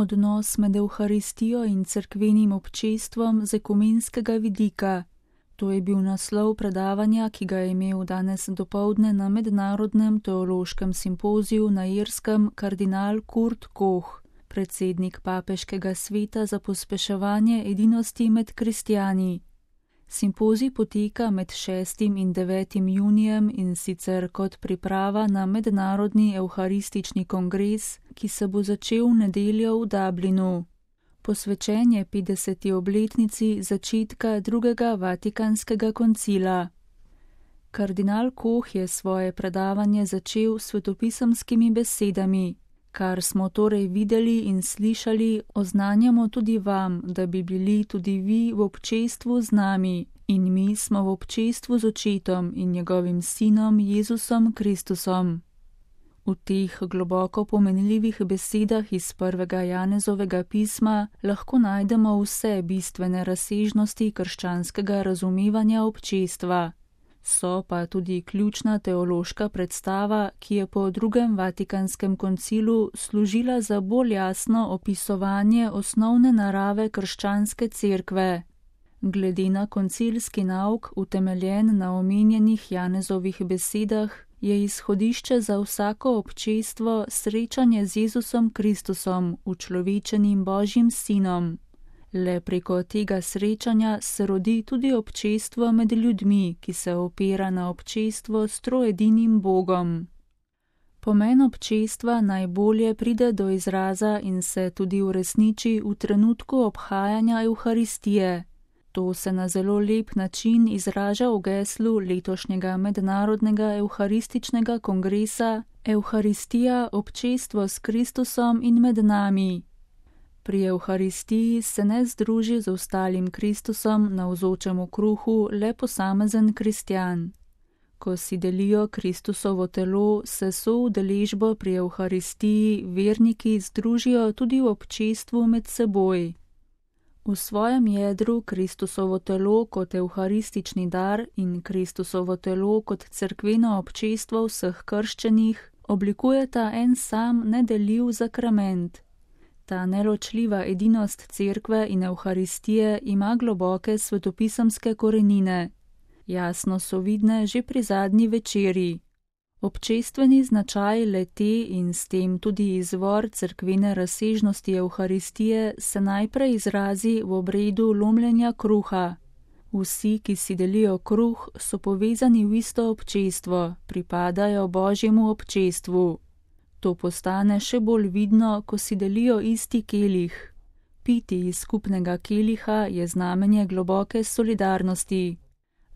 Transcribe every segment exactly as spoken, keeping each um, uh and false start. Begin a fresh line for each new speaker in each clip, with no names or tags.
Odnos med Evharistijo in cerkvenim občestvom z ekumenskega vidika. To je bil naslov predavanja, ki ga je imel danes dopoldne na Mednarodnem teološkem simpoziju na Irskem kardinal Kurt Koch, predsednik papeškega sveta za pospeševanje edinosti med kristjani. Simpozij poteka med šestim in devetim junijem in sicer kot priprava na Mednarodni evharistični kongres, ki se bo začel v nedeljo v Dublinu. Posvečen je petdeseti obletnici začetka drugega vatikanskega koncila. Kardinal Koch je svoje predavanje začel s svetopisemskimi besedami. Kar smo torej videli in slišali, oznanjamo tudi vam, da bi bili tudi vi v občestvu z nami, in mi smo v občestvu z Očetom in njegovim Sinom Jezusom Kristusom. V teh globoko pomenljivih besedah iz prvega Janezovega pisma lahko najdemo vse bistvene razsežnosti krščanskega razumevanja občestva. So pa tudi ključna teološka predstava, ki je po drugem Vatikanskem koncilu služila za bolj jasno opisovanje osnovne narave krščanske cerkve. Glede na koncilski nauk, utemeljen na omenjenih Janezovih besedah, je izhodišče za vsako občestvo srečanje z Jezusom Kristusom, učlovečenim Božjim Sinom. Le preko tega srečanja se rodi tudi občestvo med ljudmi, ki se opira na občestvo s troedinim Bogom. Pomen občestva najbolje pride do izraza in se tudi uresniči v trenutku obhajanja Evharistije. To se na zelo lep način izraža v geslu letošnjega Mednarodnega evharističnega kongresa Evharistija, občestvo s Kristusom in med nami. Pri Evharistiji se ne združi z ostalim Kristusom navzočem v kruhu le posamezen kristjan. Ko si delijo Kristusovo telo, se soudeležbo pri Evharistiji verniki združijo tudi v občestvu med seboj. V svojem jedru Kristusovo telo kot evharistični dar in Kristusovo telo kot cerkveno občestvo vseh krščenih oblikujeta en sam nedeljiv zakrament. Ta neločljiva edinost cerkve in Evharistije ima globoke svetopisemske korenine. Jasno so vidne že pri zadnji večeri. Občestveni značaj le-te in s tem tudi izvor cerkvene razsežnosti Evharistije se najprej izrazi v obredu lomljenja kruha. Vsi, ki si delijo kruh, so povezani v isto občestvo, pripadajo Božjemu občestvu. To postane še bolj vidno, ko si delijo isti kelih. Piti iz skupnega keliha je znamenje globoke solidarnosti.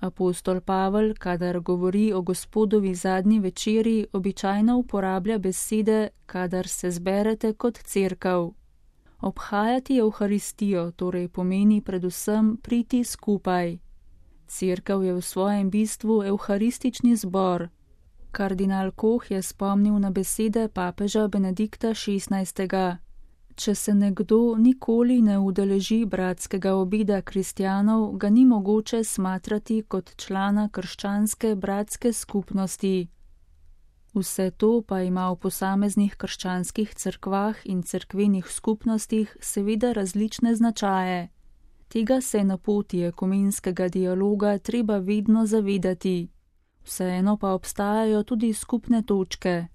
Apostol Pavel, kadar govori o Gospodovi zadnji večeri, običajno uporablja besede, kadar se zberete kot cerkev. Obhajati Evharistijo torej pomeni predvsem priti skupaj. Cerkev je v svojem bistvu evharistični zbor. Kardinal Koch je spomnil na besede papeža Benedikta šestnajstega. Če se nekdo nikoli ne udeleži bratskega obeda kristjanov, ga ni mogoče smatrati kot člana krščanske bratske skupnosti. Vse to pa ima v posameznih krščanskih cerkvah in cerkvenih skupnostih seveda različne značaje. Tega se na poti ekumenskega dialoga treba vedno zavedati. Vseeno pa obstajajo tudi skupne točke.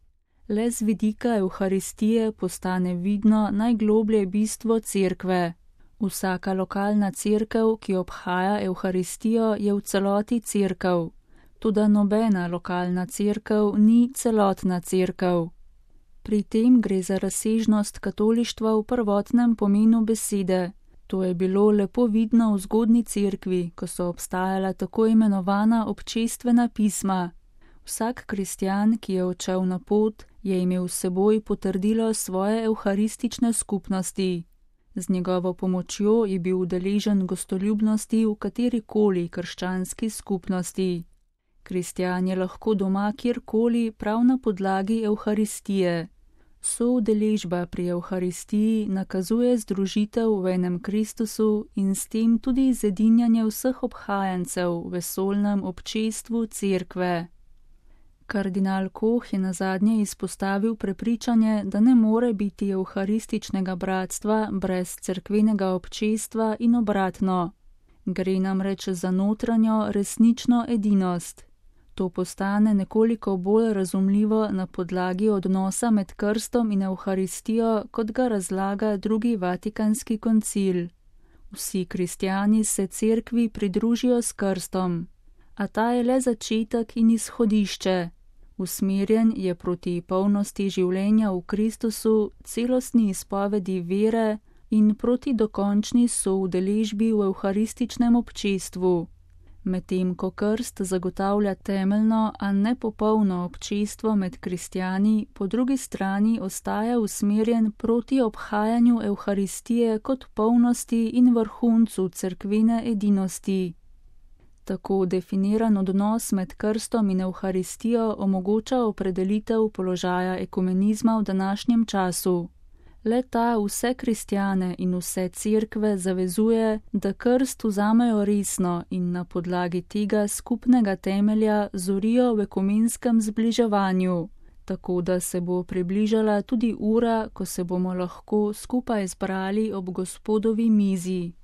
Le z vidika Evharistije postane vidno najgloblje bistvo cerkve. Vsaka lokalna cerkev, ki obhaja Evharistijo, je v celoti cerkev. Toda nobena lokalna cerkev ni celotna cerkev. Pri tem gre za razsežnost katolištva v prvotnem pomenu besede. To je bilo lepo vidno v zgodnji cerkvi, ko so obstajala tako imenovana občestvena pisma. Vsak kristjan, ki je odšel na pot, je imel s seboj potrdilo svoje evharistične skupnosti. Z njegovo pomočjo je bil udeležen gostoljubnosti v katerikoli krščanski skupnosti. Kristjan je lahko doma kjerkoli prav na podlagi Evharistije. Soudeležba pri Evharistiji nakazuje združitev v enem Kristusu in s tem tudi zedinjanje vseh obhajancev v vesolnem občestvu cerkve. Kardinal Koh je nazadnje izpostavil prepričanje, da ne more biti evharističnega bratstva brez cerkvenega občestva in obratno. Gre namreč za notranjo, resnično edinost. To postane nekoliko bolj razumljivo na podlagi odnosa med krstom in evharistijo, kot ga razlaga drugi vatikanski koncil. Vsi kristjani se cerkvi pridružijo s krstom, a ta je le začetek in izhodišče. Usmerjen je proti polnosti življenja v Kristusu, celostni izpovedi vere in proti dokončni soudeležbi v evharističnem občestvu. Medtem ko krst zagotavlja temeljno, a ne popolno občestvo med kristjani, po drugi strani ostaja usmerjen proti obhajanju evharistije kot polnosti in vrhuncu cerkvene edinosti. Tako definiran odnos med krstom in evharistijo omogoča opredelitev položaja ekumenizma v današnjem času. Le-ta vse kristjane in vse cerkve zavezuje, da krst vzamejo resno in na podlagi tega skupnega temelja zorijo v ekumenskem zbliževanju, tako da se bo približala tudi ura, ko se bomo lahko skupaj zbrali ob Gospodovi mizi.